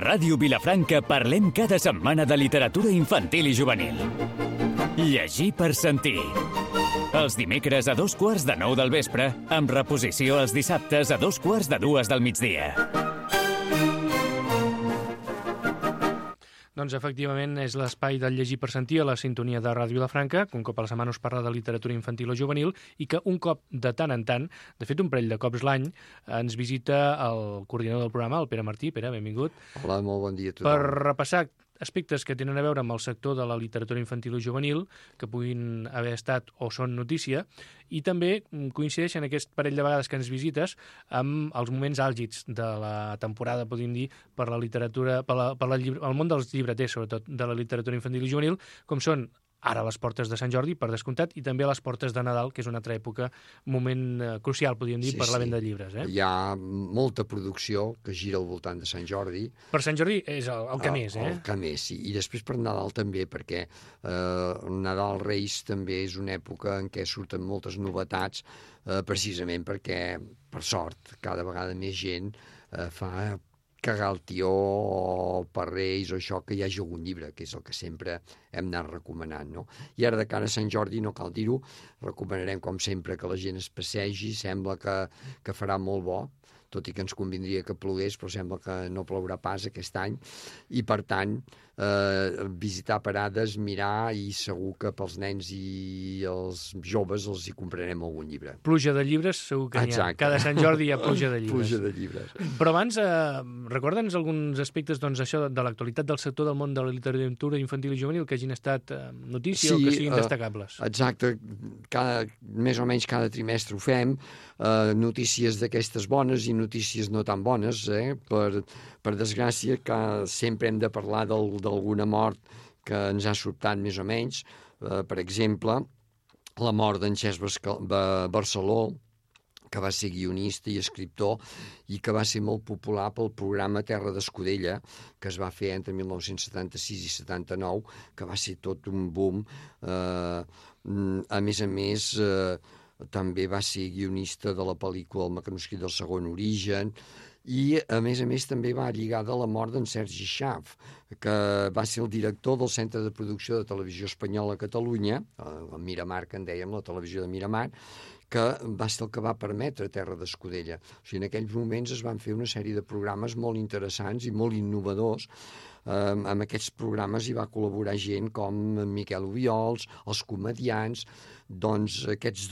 Ràdio Vilafranca parlem cada setmana de literatura infantil i juvenil. Llegir per sentir. Els dimecres a 8:45 del vespre, amb reposició els dissabtes a 2:45 del migdia. Doncs efectivament és l'espai del llegir per sentir a la sintonia de Ràdio Vilafranca, que un cop a la setmana us parla de literatura infantil o juvenil i que un cop de tant en tant, de fet un parell de cops l'any, ens visita el coordinador del programa, el Pere Martí. Pere, benvingut. Hola, molt bon dia a tothom. Per repassar aspectes que tenen a veure amb el sector de la literatura infantil o juvenil, que puguin haver estat o són notícia, i també coincideixen aquest parell de vegades que ens visites amb els moments àlgids de la temporada, podríem dir, per la literatura, el món dels llibreters, sobretot, de la literatura infantil i juvenil, com són ara les portes de Sant Jordi, per descomptat, i també les portes de Nadal, que és una altra època, moment crucial, podríem dir, per la venda de llibres. Hi ha molta producció que gira al voltant de Sant Jordi. Per Sant Jordi és el que més, El que més, sí. I després per Nadal també, perquè Nadal Reis també és una època en què surten moltes novetats, precisament perquè, per sort, cada vegada més gent fa cagar el tió o per Reis o això, que hi hagi algun llibre, que és el que sempre hem anat recomanant, no? I ara de cara a Sant Jordi, no cal dir-ho, recomanarem com sempre que la gent es passegi, sembla que farà molt bo, tot i que ens convindria que plogués, però sembla que no plourà pas aquest any, i per tant visitar parades, mirar, i segur que pels nens i els joves els hi comprarem algun llibre. Pluja de llibres segur que n'hi ha. Cada Sant Jordi hi ha pluja de llibres. Pluja de llibres. Però abans, recorda'ns alguns aspectes això de l'actualitat del sector del món de la literatura infantil i juvenil que hagin estat notícia o que siguin destacables. Exacte. Més o menys cada trimestre ho fem. Notícies d'aquestes bones i notícies no tan bones. Per desgràcia, que sempre hem de parlar d'alguna mort que ens ha sobtat més o menys. Per exemple, la mort d'en Cesc Barceló, que va ser guionista i escriptor i que va ser molt popular pel programa Terra d'Escudella, que es va fer entre 1976 i 79, que va ser tot un boom. A més, també va ser guionista de la pel·lícula El mecanoscrit del segon origen, i a més també va lligada a la mort d'en Sergi Xaf, que va ser el director del Centre de Producció de Televisió Espanyola a Catalunya, a Miramar, que en dèiem, la televisió de Miramar, que va ser el que va permetre Terra d'Escudella. O sigui, en aquells moments es van fer una sèrie de programes molt interessants i molt innovadors. En aquests programes hi va col·laborar gent com Miquel Obiols, els comediants. Doncs aquestes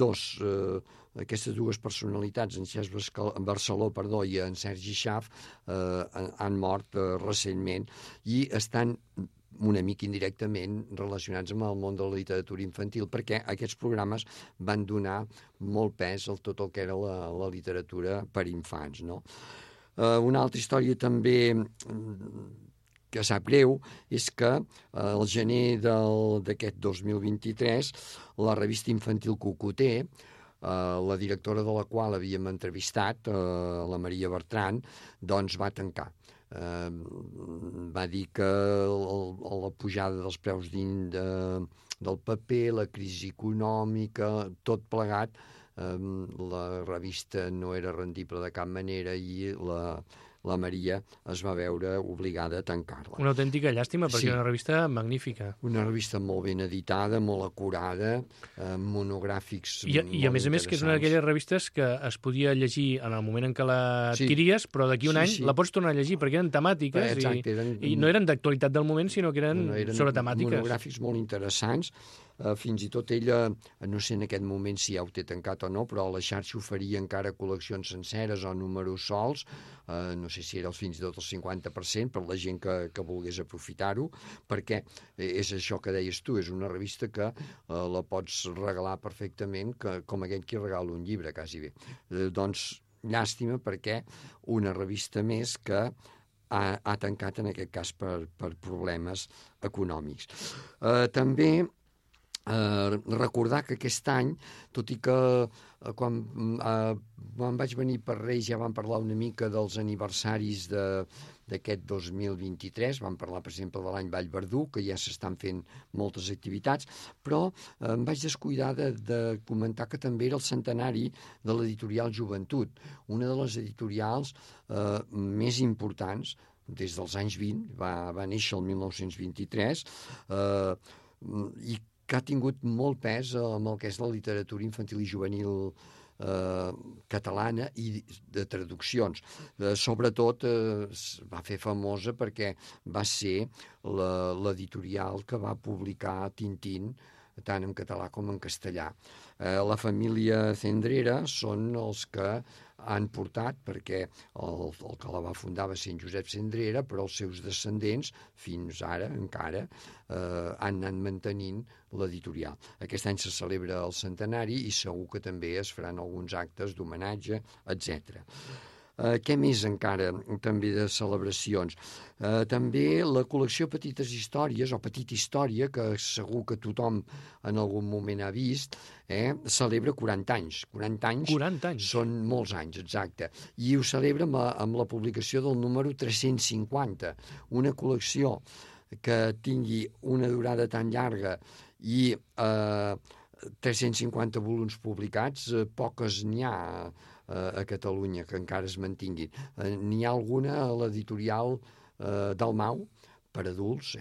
dues personalitats, en Cesc Barceló i en Sergi Xaf, han mort recentment i estan una mica indirectament relacionats amb el món de la literatura infantil, perquè aquests programes van donar molt pes a tot el que era la literatura per infants, no? Una altra història també que sap greu és que al gener d'aquest 2023 la revista infantil Cocoter, la directora de la qual havíem entrevistat, la Maria Bertran, doncs va tancar. Va dir que la pujada dels preus del paper, la crisi econòmica, tot plegat, la revista no era rendible de cap manera i la Maria es va veure obligada a tancar-la. Una autèntica llàstima, perquè és una revista magnífica. Una revista molt ben editada, molt acurada, monogràfics I a més que és una d'aquelles revistes que es podia llegir en el moment en què l'adquiries, però d'aquí un any la pots tornar a llegir, perquè eren temàtiques i no eren d'actualitat del moment, sinó que eren sobre temàtiques. Monogràfics molt interessants. Fins i tot ella, no sé en aquest moment si ja ho té tancat o no, però a la xarxa oferia encara col·leccions senceres o números sols, no sé si era fins i tot el 50% per la gent que volgués aprofitar-ho, perquè és això que deies tu, és una revista que la pots regalar perfectament com aquell qui regala un llibre, quasi bé. Doncs llàstima, perquè una revista més que ha tancat en aquest cas per problemes econòmics. També recordar que aquest any, tot i que quan vaig venir per Reis ja vam parlar una mica dels aniversaris d'aquest 2023, vam parlar, per exemple, de l'any Vallverdú, que ja s'estan fent moltes activitats, però em vaig descuidar de comentar que també era el centenari de l'editorial Joventut, una de les editorials més importants des dels anys 20, va néixer el 1923, i que ha tingut molt pes amb el que és la literatura infantil i juvenil catalana i de traduccions. Sobretot va fer famosa perquè va ser l'editorial que va publicar Tintín tant en català com en castellà. La família Cendrera són els que han portat, perquè el que la va fundar va ser en Josep Cendrera, però els seus descendents, fins ara encara, han anat mantenint l'editorial. Aquest any se celebra el centenari i segur que també es faran alguns actes d'homenatge, etc. Què més encara també de celebracions? També la col·lecció Petites Històries, o Petita Història, que segur que tothom en algun moment ha vist, celebra 40 anys. 40 anys són molts anys, exacte. I ho celebra amb la publicació del número 350, una col·lecció que tingui una durada tan llarga i 350 volums publicats, poques n'hi ha a Catalunya que encara es mantinguin. N'hi ha alguna a l'editorial Dalmau, per adults,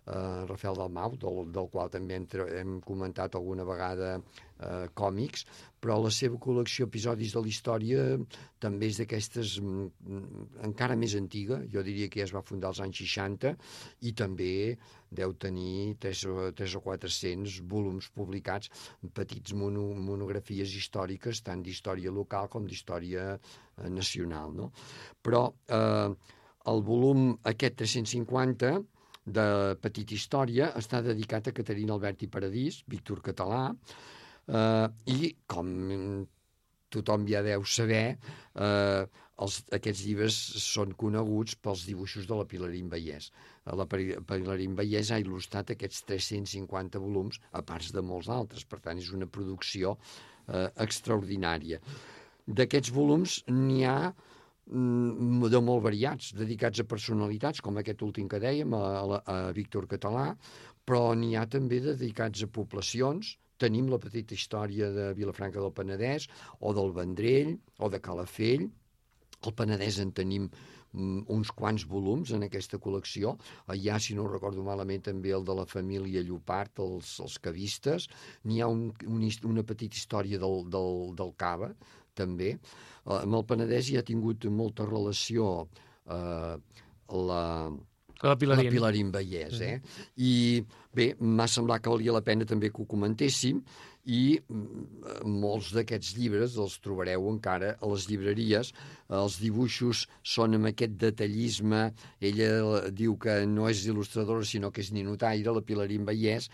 Rafael Dalmau, del qual també hem comentat alguna vegada còmics, però la seva col·lecció Episodis de la història també és d'aquestes encara més antiga, jo diria que ja es va fundar als anys 60, i també deu tenir 300 o 400 volums publicats, petits monografies històriques, tant d'història local com d'història nacional, no? Però el volum aquest 350 de Petita Història està dedicat a Caterina Albert i Paradís, Víctor Català, i com tothom ja deu saber, aquests llibres són coneguts pels dibuixos de la Pilarín Vallès. La Pilarín Vallès ha il·lustrat aquests 350 volums, a part de molts altres, per tant és una producció extraordinària. D'aquests volums n'hi ha de molt variats, dedicats a personalitats, com aquest últim que dèiem, a Víctor Català, però n'hi ha també dedicats a poblacions. Tenim la Petita Història de Vilafranca del Penedès, o del Vendrell, o de Calafell. Al Penedès en tenim uns quants volums en aquesta col·lecció. Hi ha, si no ho recordo malament, també el de la família Llopart, els cavistes. N'hi ha una petita història del Cava, també. Amb el Penedès hi ha tingut molta relació la Pilarín Vallès. I bé, m'ha semblat que valia la pena també que ho comentéssim, i molts d'aquests llibres els trobareu encara a les llibreries. Els dibuixos són amb aquest detallisme. Ella diu que no és il·lustradora sinó que és ninotaire, la Pilarín Vallès,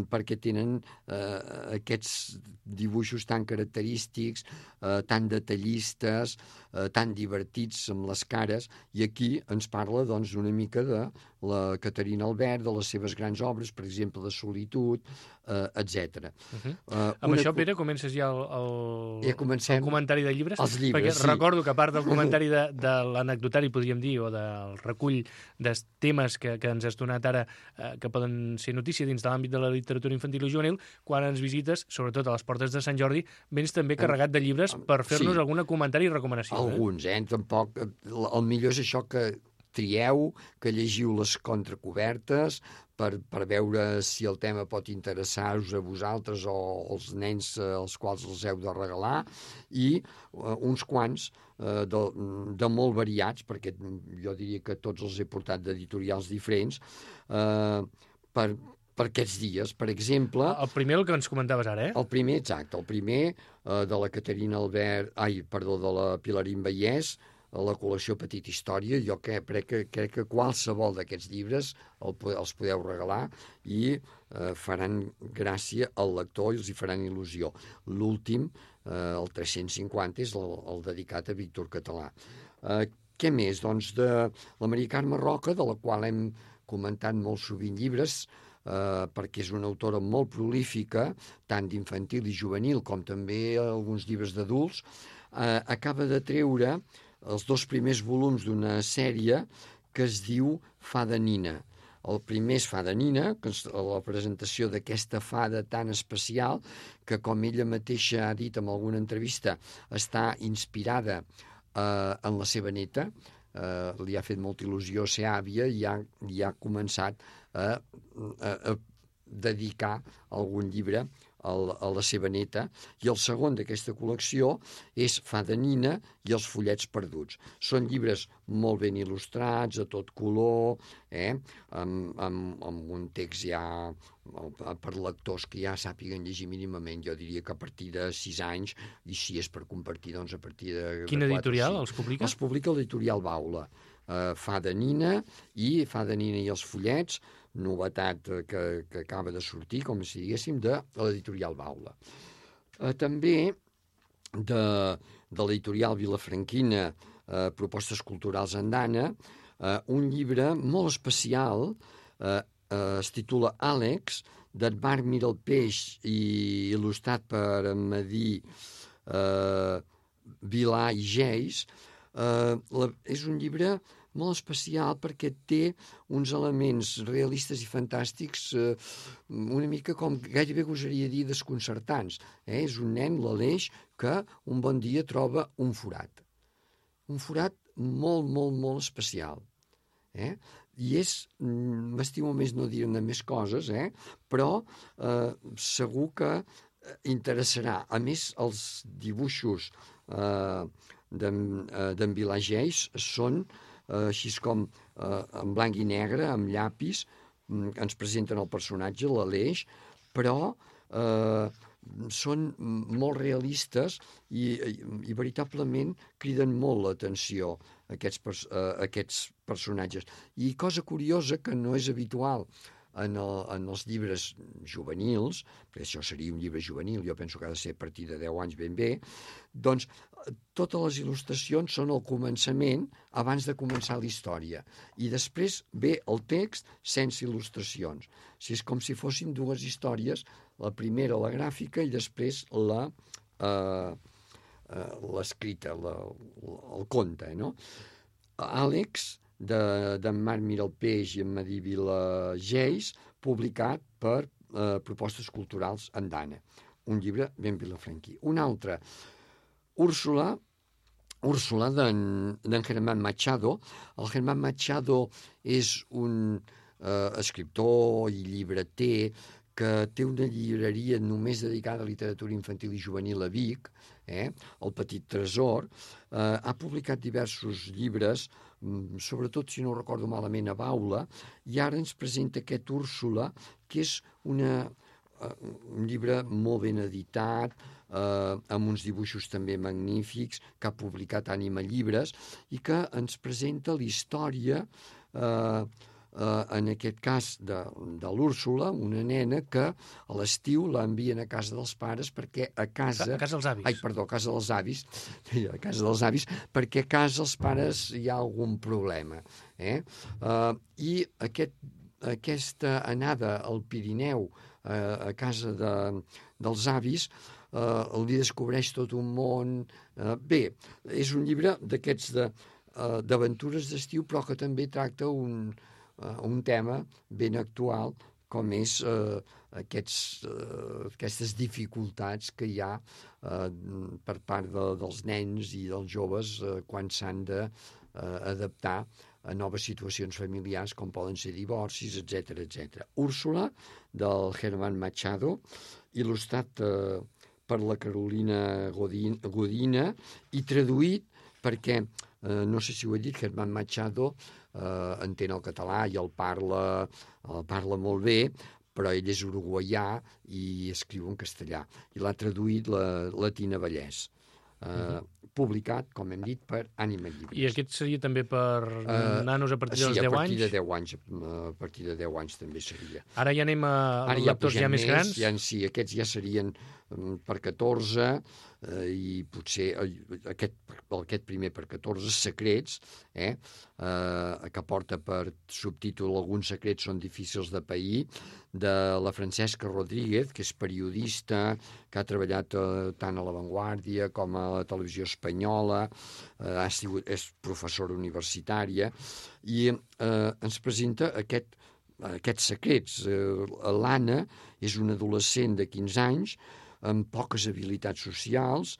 perquè tenen aquests dibuixos tan característics, tan detallistes, tan divertits amb les cares, i aquí ens parla doncs una mica de la Caterina Albert, de les seves grans obres, per exemple, de Solitud, etc. Amb això, Pere, comences ja el comentari de llibres? Els llibres, perquè recordo que a part del comentari de l'anecdotari, podríem dir, o del recull de temes que ens has donat ara, que poden ser notícia dins de l'àmbit de la literatura infantil i juvenil, quan ens visites, sobretot a les portes de Sant Jordi, vens també carregat de llibres per fer-nos algun comentari i recomanació. Alguns, tampoc. El millor és això, que trieu, que llegiu les contracobertes per veure si el tema pot interessar-vos a vosaltres o als nens als quals els heu de regalar, i uns quants de molt variats, perquè jo diria que tots els he portat d'editorials diferents, per aquests dies. Per exemple... El primer, el que ens comentaves ara, El primer, exacte. El primer de la Caterina Albert... de la Pilarín Vallès, la col·lecció Petita Història. Jo crec que qualsevol d'aquests llibres els podeu regalar i faran gràcia al lector i els hi faran il·lusió. L'últim, el 350, és el dedicat a Víctor Català. Què més? Doncs de la Maria Carme Roca, de la qual hem comentat molt sovint llibres, perquè és una autora molt prolífica, tant d'infantil i juvenil com també alguns llibres d'adults. Acaba de treure els 2 primers volums d'una sèrie que es diu Fada Nina. El primer és Fada Nina, que és la presentació d'aquesta fada tan especial que, com ella mateixa ha dit en alguna entrevista, està inspirada en la seva neta, li ha fet molta il·lusió ser àvia i ha començat a dedicar algun llibre a la seva neta, i el segon d'aquesta col·lecció és Fada Nina i els follets perduts. Són llibres molt ben il·lustrats, a tot color, amb un text ja per lectors que ja sàpiguen llegir mínimament. Jo diria que a partir de 6 anys, i si és per compartir, doncs a partir de 4 Quina editorial els publica? Els publica l'editorial Baula. Fada Nina i els follets, novetat que acaba de sortir, com si diguéssim, de l'editorial Baula. També de l'editorial Vilafranquina, Propostes culturals Andana, un llibre molt especial, es titula Àlex, d'Edvard Miralpeix i il·lustrat per Madí Vilà i Geis. És un llibre molt especial perquè té uns elements realistes i fantàstics una mica com gairebé gosaria dir desconcertants. És un nen, l'Aleix, que un bon dia troba un forat. Un forat molt, molt, molt especial. I m'estimo més no dir-ne més coses, però segur que interessarà. A més, els dibuixos d'en Vilà Geis són així com en blanc i negre, amb llapis, ens presenten el personatge, l'Aleix, però són molt realistes i veritablement criden molt l'atenció aquests personatges. I cosa curiosa, que no és habitual en els llibres juvenils, perquè això seria un llibre juvenil, jo penso que ha de ser a partir de 10 anys ben bé, doncs totes les il·lustracions són al començament, abans de començar la història, i després ve el text sense il·lustracions. És com si fossin dues històries, la primera la gràfica i després l'escrita, el conte, no? Àlex, d'en Marc Miralpeix i en Madí Vilà Geis, publicat per Propostes culturals Andana. Un llibre ben vilafranquí. Un altre, Úrsula d'en Germán Machado. El Germán Machado és un escriptor i llibreter que té una llibreria només dedicada a literatura infantil i juvenil a Vic, El Petit Tresor. Ha publicat diversos llibres, sobretot, si no ho recordo malament, a Baula, i ara ens presenta aquest Úrsula, que és un llibre molt ben editat, amb uns dibuixos també magnífics, que ha publicat Ànima Llibres, i que ens presenta la història, en aquest cas de l'Úrsula, una nena que a l'estiu l'envien a casa dels pares perquè a casa dels avis. A casa dels avis. A casa dels avis, perquè a casa els pares hi ha algun problema. I aquesta anada al Pirineu a casa dels avis li descobreix tot un món. Bé, és un llibre d'aquests d'aventures d'estiu, però que també tracta un tema ben actual, com és aquestes dificultats que hi ha per part dels nens i dels joves quan s'han d'adaptar a noves situacions familiars, com poden ser divorcis, etc. Úrsula, del Germán Machado, il·lustrat per la Carolina Godina i traduït perquè, no sé si ho he dit, Germán Machado entén el català i el parla molt bé, però ell és uruguaià i escriu en castellà. I l'ha traduït la Tina Vallès. Publicat, com hem dit, per Ànima Llibres. I aquest seria també per nanos a partir dels 10 anys? A partir de 10 anys també seria. Ara ja anem a lectors ja més grans? Sí, aquests ja serien per 14, i potser aquest primer per 14, Secrets, que porta per subtítol Alguns secrets són difícils de pair, de la Francesca Rodríguez, que és periodista, que ha treballat tant a La Vanguardia com a la televisió espanyola, és professora universitària, i ens presenta aquests secrets. L'Anna és una adolescent de 15 anys, amb poques habilitats socials,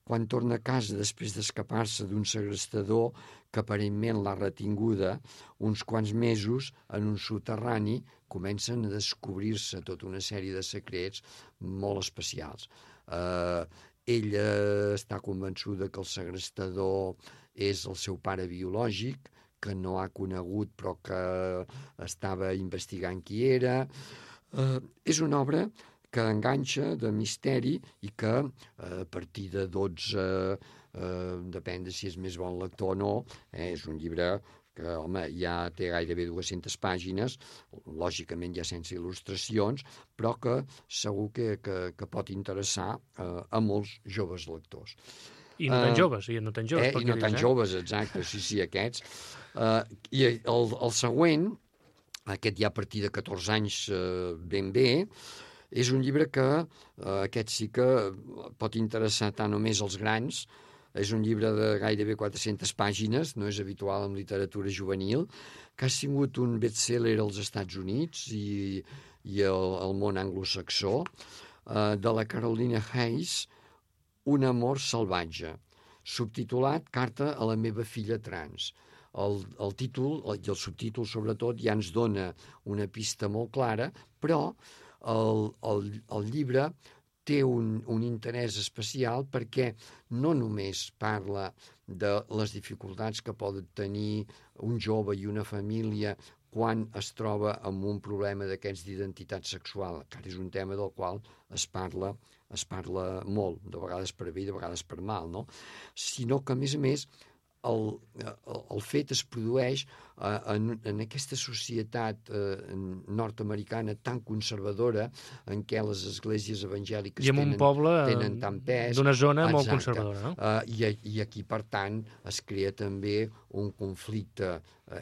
quan torna a casa després d'escapar-se d'un segrestador que aparentment l'ha retinguda uns quants mesos en un soterrani, comencen a descobrir-se tota una sèrie de secrets molt especials. Ella està convençuda que el segrestador és el seu pare biològic, que no ha conegut però que estava investigant qui era. És una obra que enganxa, de misteri, i que a partir de 12, depèn de si és més bon lector o no, és un llibre que, home, ja té gairebé 200 pàgines, lògicament ja sense il·lustracions, però que segur que pot interessar a molts joves lectors. I no tan joves, i no tan joves. I no tan joves, exacte, sí, aquests. I el següent, aquest ja a partir de 14 anys ben bé, és un llibre que aquest sí que pot interessar tant només als grans. És un llibre de gairebé 400 pàgines, no és habitual en literatura juvenil, que ha sigut un best-seller als Estats Units i al món anglosaxó, de la Caroline Hayes, Un amor salvatge, subtitulat Carta a la meva filla trans. El títol i el subtítol, sobretot, ja ens dona una pista molt clara, però el llibre té un interès especial perquè no només parla de les dificultats que poden tenir un jove i una família quan es troba amb un problema d'aquests d'identitat sexual, que és un tema del qual es parla molt, de vegades per bé i de vegades per mal, no? Sinó que, a més, el fet es produeix en aquesta societat nord-americana tan conservadora en què les esglésies evangèliques tenen tant pes. D'una zona molt conservadora, no? I aquí, per tant, es crea també un conflicte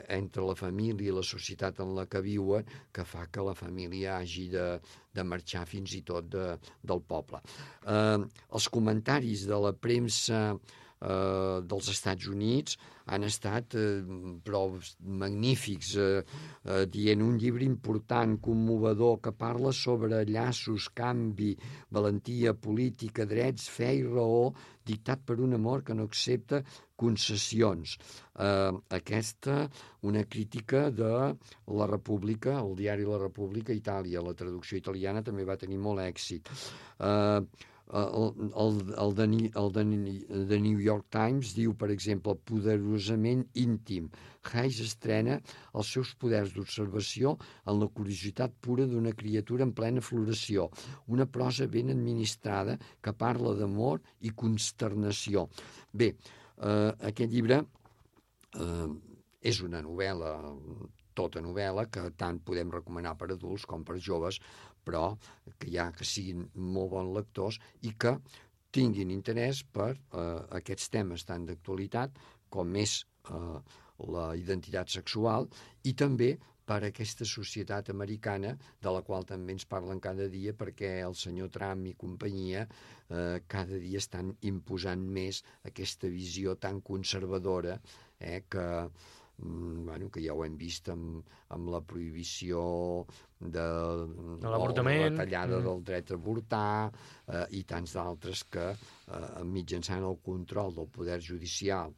entre la família i la societat en la que viuen que fa que la família hagi de marxar fins i tot del poble. Els comentaris de la premsa dels Estats Units han estat prou magnífics, dient un llibre important, commovedor, que parla sobre llaços, canvi, valentia política, drets, fe i raó, dictat per un amor que no accepta concessions. Aquesta, una crítica de La República, el diari La República, Itàlia. La traducció italiana també va tenir molt èxit. El de New York Times diu, per exemple, poderosament íntim. Hayes estrena els seus poders d'observació en la curiositat pura d'una criatura en plena floració. Una prosa ben administrada que parla d'amor i consternació. Bé, aquest llibre és una novel·la, tota novel·la, que tant podem recomanar per adults com per joves, però que siguin molt bons lectors i que tinguin interès per aquests temes tant d'actualitat com és la identitat sexual i també per aquesta societat americana de la qual també ens parlen cada dia perquè el senyor Trump i companyia cada dia estan imposant més aquesta visió tan conservadora que ja ho hem vist amb la prohibició de l'avortament, la retallada del dret a avortar i tants d'altres que mitjançant el control del poder judicial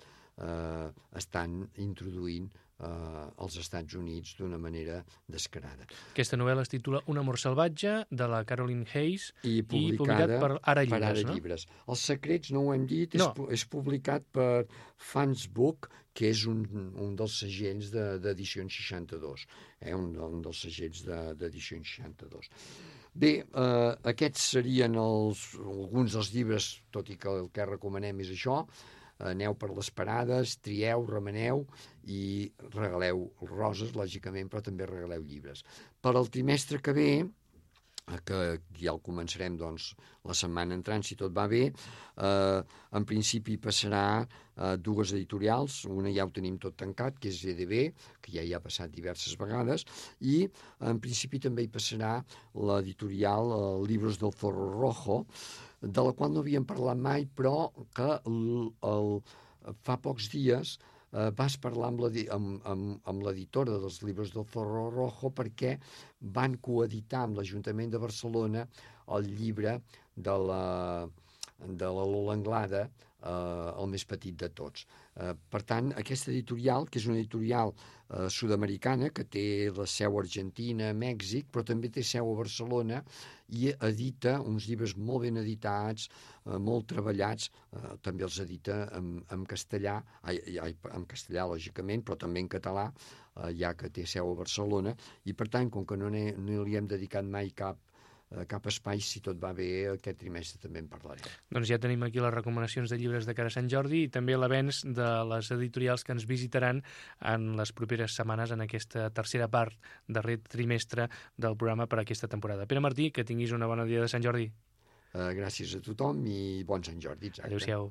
estan introduint als Estats Units d'una manera descarada. Aquesta novel·la es titula Un amor salvatge, de la Caroline Hayes, i publicat per Ara Llibres. No? Els secrets, no ho hem dit, és publicat per Fansbook, que és un dels segells d'Edicions 62, un dels segells d'Edicions 62. Bé, aquests serien alguns dels llibres, tot i que el que recomanem és això. Aneu per les parades, trieu, remeneu i regaleu roses, lògicament, però també regaleu llibres. Per al trimestre que ve, que ja el començarem doncs, la setmana entrant, si tot va bé, en principi passarà dues editorials, una ja ho tenim tot tancat, que és EDB, que ja hi ha passat diverses vegades, i en principi també hi passarà l'editorial Libros del Zorro Rojo, de la qual no havíem parlat mai, però que fa pocs dies vas parlar amb l'editora dels Libros del Zorro Rojo perquè van coeditar amb l'Ajuntament de Barcelona el llibre de de la Lola Anglada, el més petit de tots. Per tant, aquesta editorial, que és una editorial sud-americana, que té la seu a Argentina, a Mèxic, però també té seu a Barcelona, i edita uns llibres molt ben editats, molt treballats, també els edita en castellà, en castellà, lògicament, però també en català, ja que té seu a Barcelona, i per tant, com que no li hem dedicat mai cap espai, si tot va bé, aquest trimestre també en parlarem. Doncs ja tenim aquí les recomanacions de llibres de cara a Sant Jordi i també l'avenç de les editorials que ens visitaran en les properes setmanes en aquesta tercera part, darrer trimestre del programa per aquesta temporada. Pere Martí, que tinguis una bona dia de Sant Jordi. Gràcies a tothom i bon Sant Jordi. Exacte. Adéu-siau.